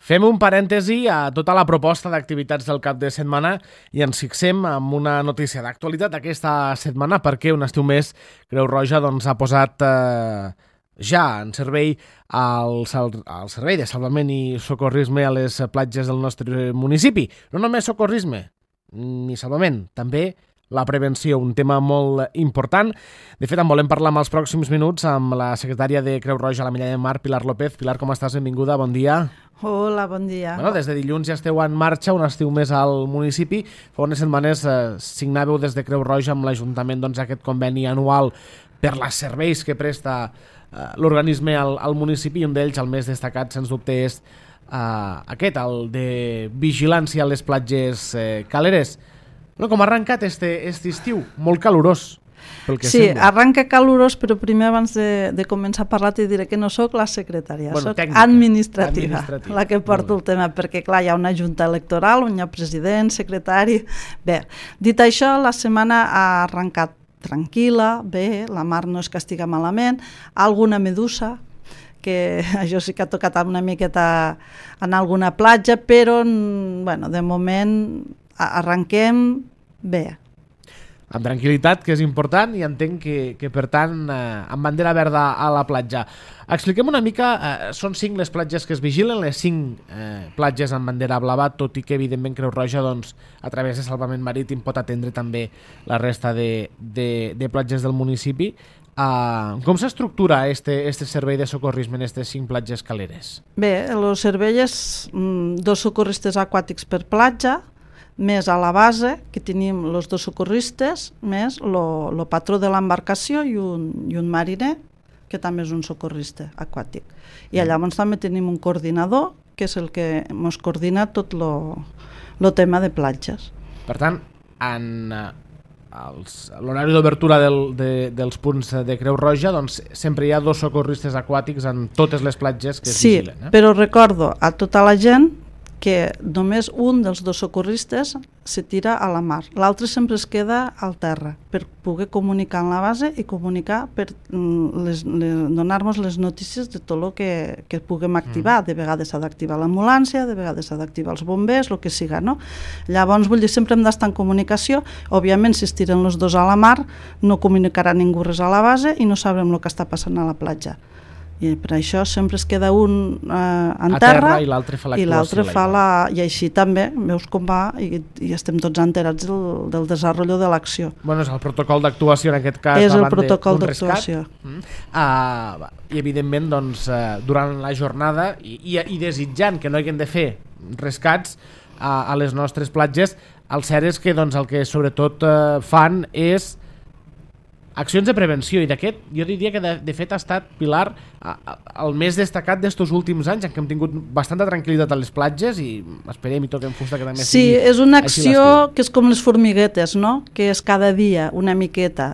Fem un parèntesi a tota la proposta d'activitats del cap de setmana i ens fixem en una notícia d'actualitat aquesta setmana perquè un estiu més Creu Roja ha posat ja en servei el servei de salvament i socorrisme a les platges del nostre municipi. No només socorrisme ni salvament, també la prevenció, un tema molt important. De fet, en volem parlar en els pròxims minuts amb la secretària de Creu Roja a la Milla de Mar, Pilar López. Pilar, com estàs? Benvinguda, bon dia. Hola, bon dia. Des de dilluns ja esteu en marxa, un estiu més al municipi. Fa unes setmanes signàveu des de Creu Roja amb l'Ajuntament aquest conveni anual per als serveis que presta l'organisme al municipi, i un d'ells, el més destacat, sens dubte, és aquest, el de vigilància a les platges caleres. Com ha arrencat este estiu? Molt calorós, pel que sí, sembla. Arranca calorós, però primer abans de començar a parlar t'hi diré que no sóc la secretària, soc tècnica, administrativa, la que porto el tema, perquè clar, hi ha una junta electoral on hi ha president, secretari... Bé, dit això, la setmana ha arrencat tranquil·la, bé, la mar no es castiga malament, alguna medusa, que això sí que ha tocat una miqueta en alguna platja, però bueno, de moment arrenquem bé. Amb tranquil·litat, que és important, i entenc que per tant, amb bandera verda a la platja. Expliquem una mica, són 5 les platges que es vigilen, les 5 platges amb bandera blava, tot i que evidentment Creu Roja a través de Salvament Marítim pot atendre també la resta de platges del municipi. Com s'estructura este servei de socorrisme en aquestes 5 platges caleres? Bé, el servei és 2 socorristes aquàtics per platja, més a la base, que tenim els 2 socorristes, més el patró de l'embarcació i un mariner, que també és un socorrista aquàtic. I llavors també tenim un coordinador, que és el que ens coordina tot el tema de platges. Per tant, en l'horari d'obertura dels punts de Creu Roja, doncs sempre hi ha 2 socorristes aquàtics en totes les platges que es vigilen. Sí, però recordo a tota la gent que només un dels 2 socorristes se tira a la mar, l'altre sempre es queda al terra per poder comunicar en la base i comunicar per donar-nos les notícies de tot el que puguem activar. De vegades s'ha d'activar l'ambulància, de vegades s'ha d'activar els bombers, el que siga, no? Llavors, vull dir, sempre hem d'estar en comunicació. Òbviament, si es tiren els 2 a la mar, no comunicarà ningú res a la base i no sabrem el que està passant a la platja. I per això sempre es queda un en terra i l'altre fa l'actuació. I així també, veus com va, i estem tots enterats del desenvolupament de l'acció. És el protocol d'actuació en aquest cas. És el protocol d'actuació. I evidentment, durant la jornada, i desitjant que no haguem de fer rescats a les nostres platges, el cert és que el que sobretot fan és accions de prevenció, i d'aquest jo diria que de fet ha estat, Pilar, el més destacat d'estos últims anys, en què hem tingut bastanta tranquil·litat a les platges i esperem i toquem fusta que també sigui. Sí, és una acció que és com les formiguetes, no? Que és cada dia una miqueta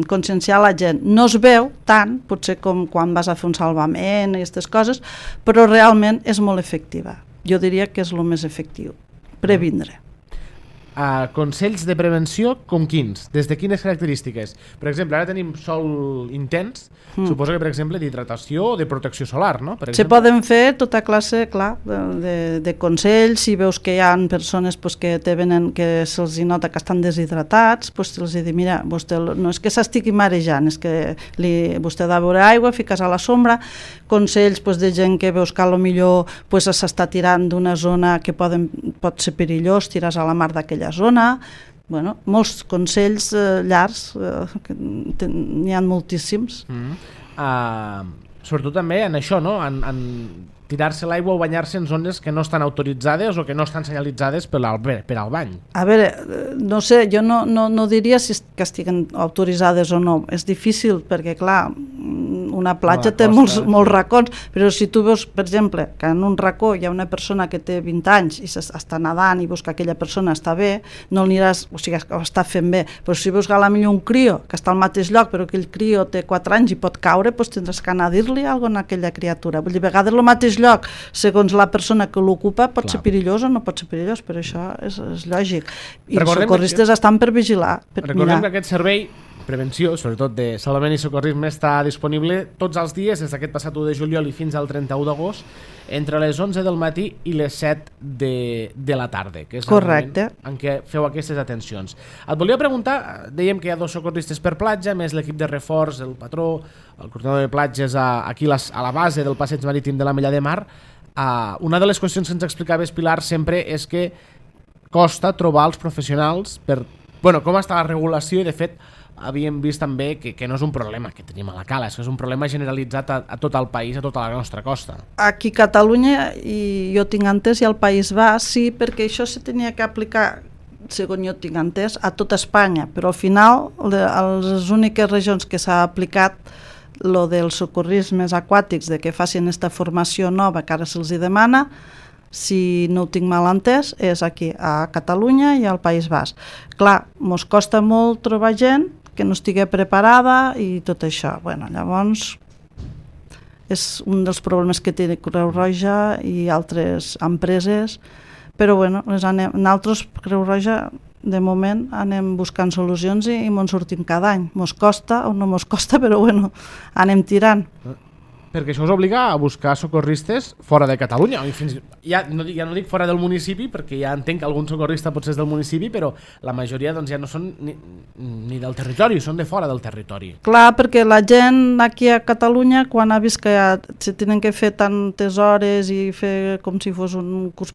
conscienciar la gent. No es veu tant, potser com quan vas a fer un salvament i aquestes coses, però realment és molt efectiva. Jo diria que és el més efectiu, previndre. Consells de prevenció com quins? Des de quines característiques? Per exemple, ara tenim sol intens, suposo que per exemple d'hidratació o de protecció solar, no? Se poden fer tota classe, clar, de consells. Si veus que hi ha persones que te venen, que se'ls nota que estan deshidratats, se'ls diu, mira, vostè no és que s'estigui marejant, és que vostè ha de beure aigua, fiques a la sombra. Consells de gent que veus que potser s'està tirant d'una zona que pot ser perillós, tires a la mar d'aquella zona. Molts consells llargs, n'hi ha moltíssims. Sobretot també en això, no? En tirar-se l'aigua o banyar-se en zones que no estan autoritzades o que no estan senyalitzades per al bany. A veure, no sé, jo no diria que estiguen autoritzades o no. És difícil perquè, clar, una platja té molts racons, però si tu veus, per exemple, que en un racó hi ha una persona que té 20 anys i està nedant i veus que aquella persona està bé, no aniràs, o sigui, està fent bé, però si veus que potser un crio que està al mateix lloc, però aquell crio té 4 anys i pot caure, doncs tindràs que anar a dir-li alguna cosa a aquella criatura. Vull dir, a vegades el mateix lloc, segons la persona que l'ocupa, pot ser perillós o no pot ser perillós, però això és lògic. I els socorristes estan per vigilar. Recordem que aquest servei prevenció, sobretot de salvament i socorrisme, està disponible tots els dies des d'aquest passat 1 de juliol i fins al 31 d'agost, entre les 11 del matí i les 7 de la tarda, que és el moment en què feu aquestes atencions. Et volia preguntar, dèiem que hi ha 2 socorristes per platja, més l'equip de reforç, el patró, el coordinador de platges aquí a la base del passeig marítim de la Mella de Mar. Una de les qüestions que ens explicaves, Pilar, sempre és que costa trobar els professionals per... com està la regulació i, de fet, havíem vist també que no és un problema que tenim a la cala, és que és un problema generalitzat a tot el país, a tota la nostra costa. Aquí a Catalunya, i jo tinc entès, i al País Basc, sí, perquè això se tenia que aplicar, segons jo tinc entès, a tota Espanya, però al final les úniques regions que s'ha aplicat lo dels socorrismes aquàtics, de que facin aquesta formació nova que ara se'ls demana, si no ho tinc mal entès, és aquí, a Catalunya i al País Basc. Clar, mos costa molt trobar gent que no estigui preparada i tot això. Llavors, és un dels problemes que té Creu Roja i altres empreses, però nosaltres, Creu Roja, de moment anem buscant solucions i mos sortim cada any. Mos costa o no mos costa, però anem tirant. Perquè això us obliga a buscar socorristes fora de Catalunya. Ja no dic fora del municipi, perquè ja entenc que algun socorrista potser és del municipi, però la majoria ja no són ni del territori, són de fora del territori. Clar, perquè la gent aquí a Catalunya, quan ha vist que se tenen que fer tantes hores i fer com si fos un curs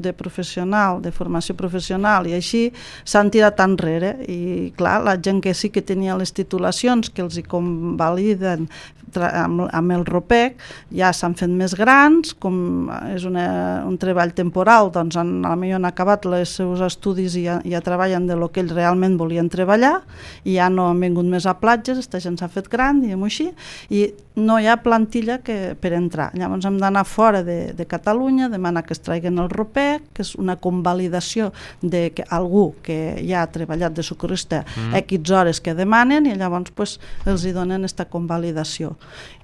de formació professional i així, s'han tirat enrere. I clar, la gent que sí que tenia les titulacions, que els hi convaliden amb el ROPEC, ja s'han fet més grans, com és un treball temporal, doncs potser han acabat els seus estudis i ja treballen de lo que ells realment volien treballar, i ja no han vingut més a platges, aquesta gent s'ha fet gran, diguem-ho així, i no hi ha plantilla per entrar. Llavors hem d'anar fora de Catalunya, demanar que es traguin el ROPEC, que és una convalidació de que algú que ja ha treballat de socorrista X hores que demanen, i llavors els hi donen aquesta convalidació.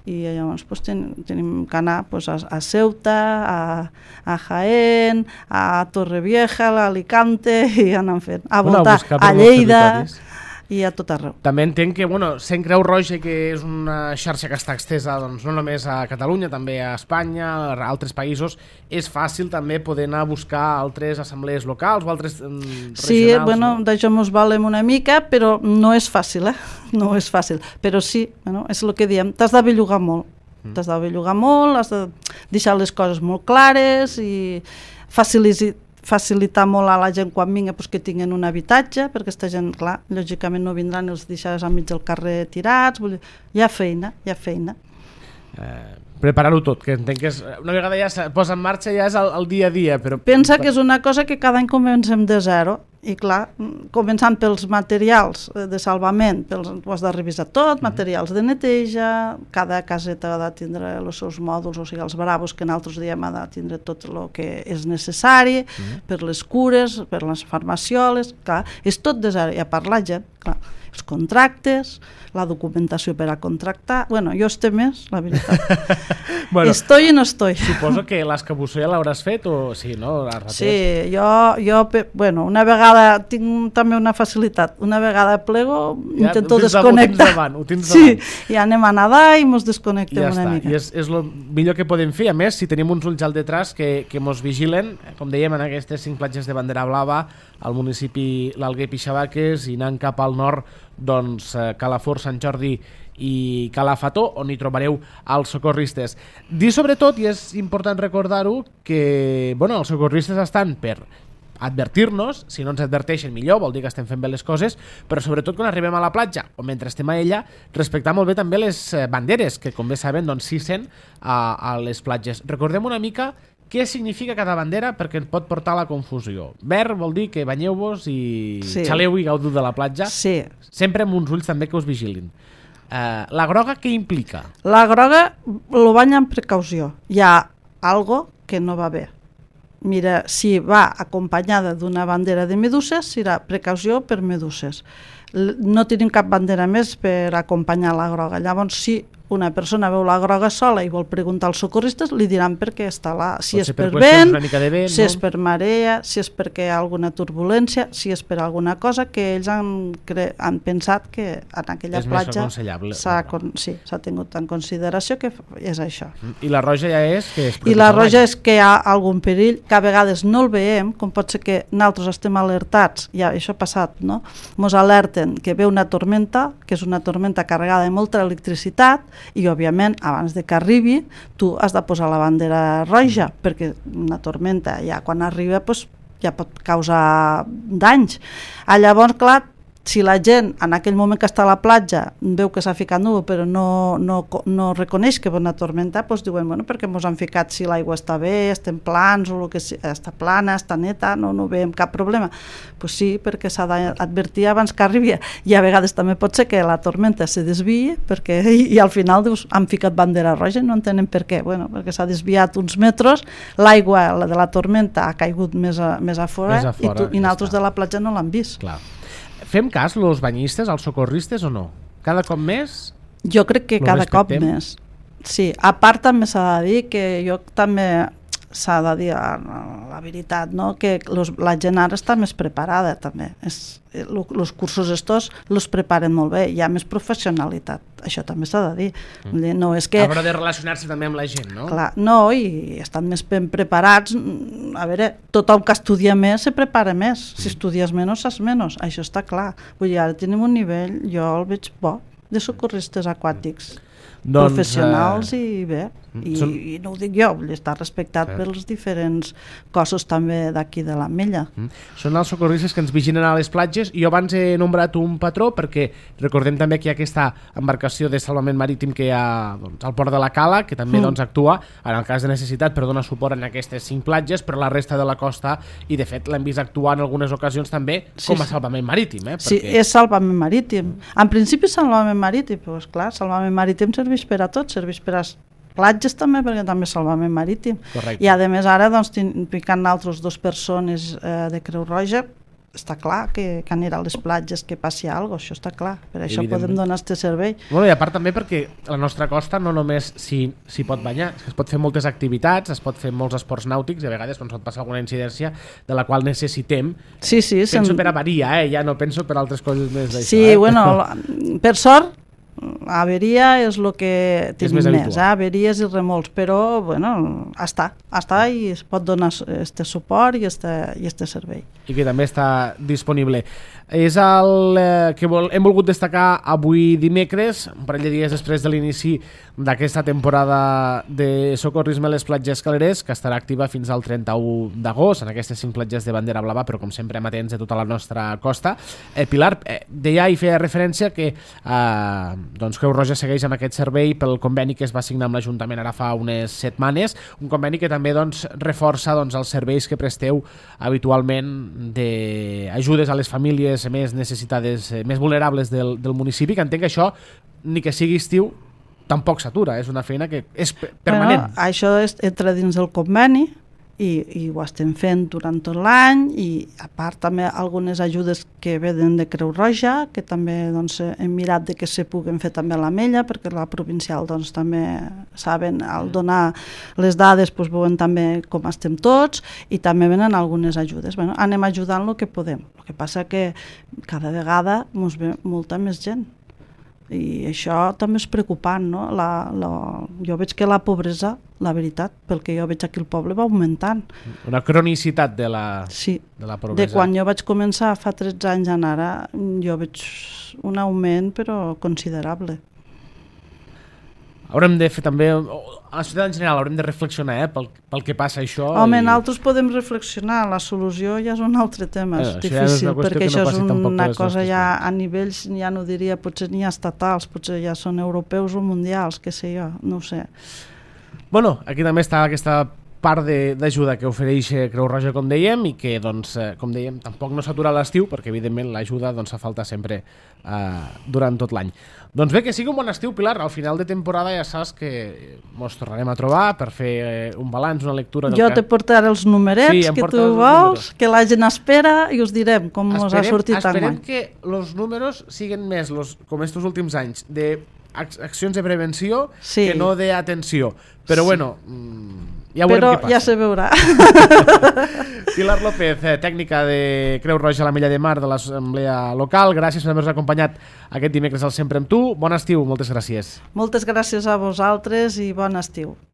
I llavors tenim que anar a Ceuta, a Jaén, a Torrevieja, a Alicante, i anem fent, a voltar a Lleida i a tot arreu. També entenc que, sent Creu Roja, que és una xarxa que està extesa no només a Catalunya, també a Espanya, a altres països, és fàcil també poder anar a buscar altres assemblees locals o altres regionals. Sí, d'això mos valem una mica, però no és fàcil, no és fàcil. Però sí, és el que diem, t'has de bellugar molt. T'has de bellugar molt, has de deixar les coses molt clares i facilitar molt a la gent quan vinga que tinguin un habitatge, perquè aquesta gent, clar, lògicament no vindran i els deixaràs enmig del carrer tirats. Hi ha feina. Preparar-ho tot, que entenc que una vegada ja es posa en marxa ja és el dia a dia. Pensa que és una cosa que cada any comencem de zero, i clar, començant pels materials de salvament, ho has de revisar tot, materials de neteja, cada caseta ha de tindre els seus mòduls, o sigui, els bravos que nosaltres diem ha de tindre tot el que és necessari per les cures, per les farmacioles, clar, és tot de zero, i a part la gent, clar, els contractes, la documentació per a contractar. Jo estic més, la veritat. Estoy i no estoy. Suposo que l'escabusser ja l'hauràs fet, o sí, no? Sí, jo una vegada tinc també una facilitat. Una vegada plego, intento desconnectar. Ho tens davant. Sí, i anem a nedar i mos desconnectem una mica. I és el millor que podem fer. A més, si tenim uns ulls al detrás que mos vigilen, com dèiem, en aquestes 5 platges de bandera blava, al municipi l'Alguer i Pixabaques, i anant cap al nord, doncs Calafort, Sant Jordi i Calafató, on hi trobareu els socorristes. Dir sobretot, i és important recordar-ho, que els socorristes estan per advertir-nos, si no ens adverteixen millor, vol dir que estem fent bé les coses, però sobretot quan arribem a la platja o mentre estem a ella, respectar molt bé també les banderes, que com bé saben s'hicen a les platges. Recordem una mica què significa cada bandera, perquè ens pot portar a la confusió. Verd vol dir que banyeu-vos i xaleu i gaudiu de la platja. Sí. Sempre amb uns ulls també que us vigilin. La groga què implica? La groga lo banya amb precaució. Hi ha algo que no va bé. Mira, si va acompanyada d'una bandera de meduses, serà precaució per meduses. No tenim cap bandera més per acompanyar la groga. Llavors, si una persona veu la groga sola i vol preguntar als socorristes, li diran per què està là. Si Pot és ser per qüestions vent, una mica de vent, si no? és per marea, si és perquè hi ha alguna turbulència, si és per alguna cosa que ells han pensat que en aquella És més platja aconsellable. s'ha tingut en consideració que és això. I la roja ja és que és I la roja és que hi ha algun perill que a vegades no el veiem, com pot ser que nosaltres estem alertats, ja això ha passat, no? Mos alerten que ve una tormenta, que és una tormenta carregada de molta electricitat, i òbviament abans de que arribi tu has de posar la bandera roja, perquè una tormenta ja quan arriba doncs, ja pot causar danys. Llavors, clar, si la gent en aquell moment que està a la platja veu que s'ha ficat núvol però no reconeix que ve una tormenta, doncs diuen, bueno, perquè ens han ficat si l'aigua està bé, estem plans, o el que sigui, està plana, està neta, no veiem cap problema. Doncs sí, perquè s'ha d'advertir abans que arribi, i a vegades també pot ser que la tormenta se desviï i al final dius, han ficat bandera roja, no entenen per què, bueno, perquè s'ha desviat uns metres, l'aigua de la tormenta ha caigut més a fora i nosaltres de la platja no l'han vist. Clar. Fem cas, els banyistes, els socorristes o no? Cada cop més? Jo crec que cada cop més. Sí, a part també s'ha de dir que jo també s'ha de dir la veritat, no? Que la gent ara està més preparada també. Els cursos estos els preparen molt bé, hi ha més professionalitat, això també s'ha de dir. No és que... A l'hora de relacionar-se també amb la gent, no? Clar, no, i estan més ben preparats. A veure, tothom que estudia més se prepara més, si estudies menys saps menys, això està clar. Vull dir, ara tenim un nivell, jo el veig bo, de socorristes aquàtics. Professionals i bé, i no ho dic jo, està respectat pels diferents cossos també d'aquí de l'Ametlla. Són els socorristes que ens vigilen a les platges. Jo abans he nombrat un patró perquè recordem també que hi ha aquesta embarcació de salvament marítim que hi ha al port de la Cala, que també actua en el cas de necessitat per donar suport en aquestes 5 platges, però la resta de la costa, i de fet l'hem vist actuar en algunes ocasions també com a salvament marítim. Sí, és salvament marítim. En principi és salvament marítim, però esclar, salvament marítim serveix per a tot, serveix per a platges també, perquè també és salvament marítim. Correcte. I a més ara, picant altres 2 persones de Creu Roja, està clar que anirà a les platges que passi alguna cosa, això està clar, per això podem donar este servei. Bueno, i a part també perquè la nostra costa no només s'hi pot banyar, es pot fer moltes activitats, es pot fer molts esports nàutics, i a vegades quan pot passar alguna incidència de la qual necessitem, penso per avaria, ja no penso per altres coses més d'això. Sí, bueno, per sort, averia és el que tenim més, averies i remolcs, però bueno, està i es pot donar este suport i este servei. I que també està disponible. És el que hem volgut destacar avui dimecres, un parell de dies després de l'inici d'aquesta temporada de socorrisme a les platges caleres, que estarà activa fins al 31 d'agost, en aquestes 5 platges de bandera blava, però com sempre amatents de tota la nostra costa. Pilar, deia i feia referència que Creu Roja segueix amb aquest servei pel conveni que es va signar amb l'Ajuntament ara fa unes setmanes, un conveni que també reforça els serveis que presteu habitualment d'ajudes a les famílies més necessitades, més vulnerables del municipi, que entenc que això, ni que sigui estiu, tampoc s'atura, és una feina que és permanent. Bueno, això entra dins del conveni i ho estem fent durant tot l'any, i a part també algunes ajudes que venen de Creu Roja, que també hem mirat de que se puguen fer també a l'Ametlla, perquè la provincial també saben, al donar les dades veuen també com estem tots, i també venen algunes ajudes. Bueno, anem ajudant el que podem. El que passa que cada vegada ens ve molta més gent. I això també és preocupant, no? Jo veig que la pobresa, la veritat, pel que jo veig aquí al poble, va augmentant. Una cronicitat de la pobresa. De quan jo vaig començar fa 13 anys en ara, jo veig un augment però considerable. Haurem de fer també, a la ciutat en general haurem de reflexionar pel que passa això. Home, nosaltres podem reflexionar, la solució ja és un altre tema, és difícil, perquè això és una cosa ja a nivells, ja no diria, potser ni estatals, potser ja són europeus o mundials, què sé jo, no ho sé. Bueno, aquí també està aquesta part d'ajuda que ofereix Creu Roja, com dèiem, i que, com dèiem, tampoc no s'atura a l'estiu, perquè evidentment l'ajuda fa falta sempre durant tot l'any. Doncs bé, que sigui un bon estiu, Pilar. Al final de temporada ja saps que ens tornarem a trobar per fer un balanç, una lectura del Jo te portaré els numerets que tu vols, que la gent espera, i us direm com us ha sortit enguany. Esperem que els números siguin més, com estos últims anys, de accions de prevenció Sí. que no d'atenció. Però bueno, ja veurem Però què passa. ja se veurà. Pilar López, tècnica de Creu Roja a l'Ametlla de Mar de l'Assemblea Local, gràcies per haver-nos acompanyat aquest dimecres al Sempre amb tu. Bon estiu, moltes gràcies. Moltes gràcies a vosaltres i bon estiu.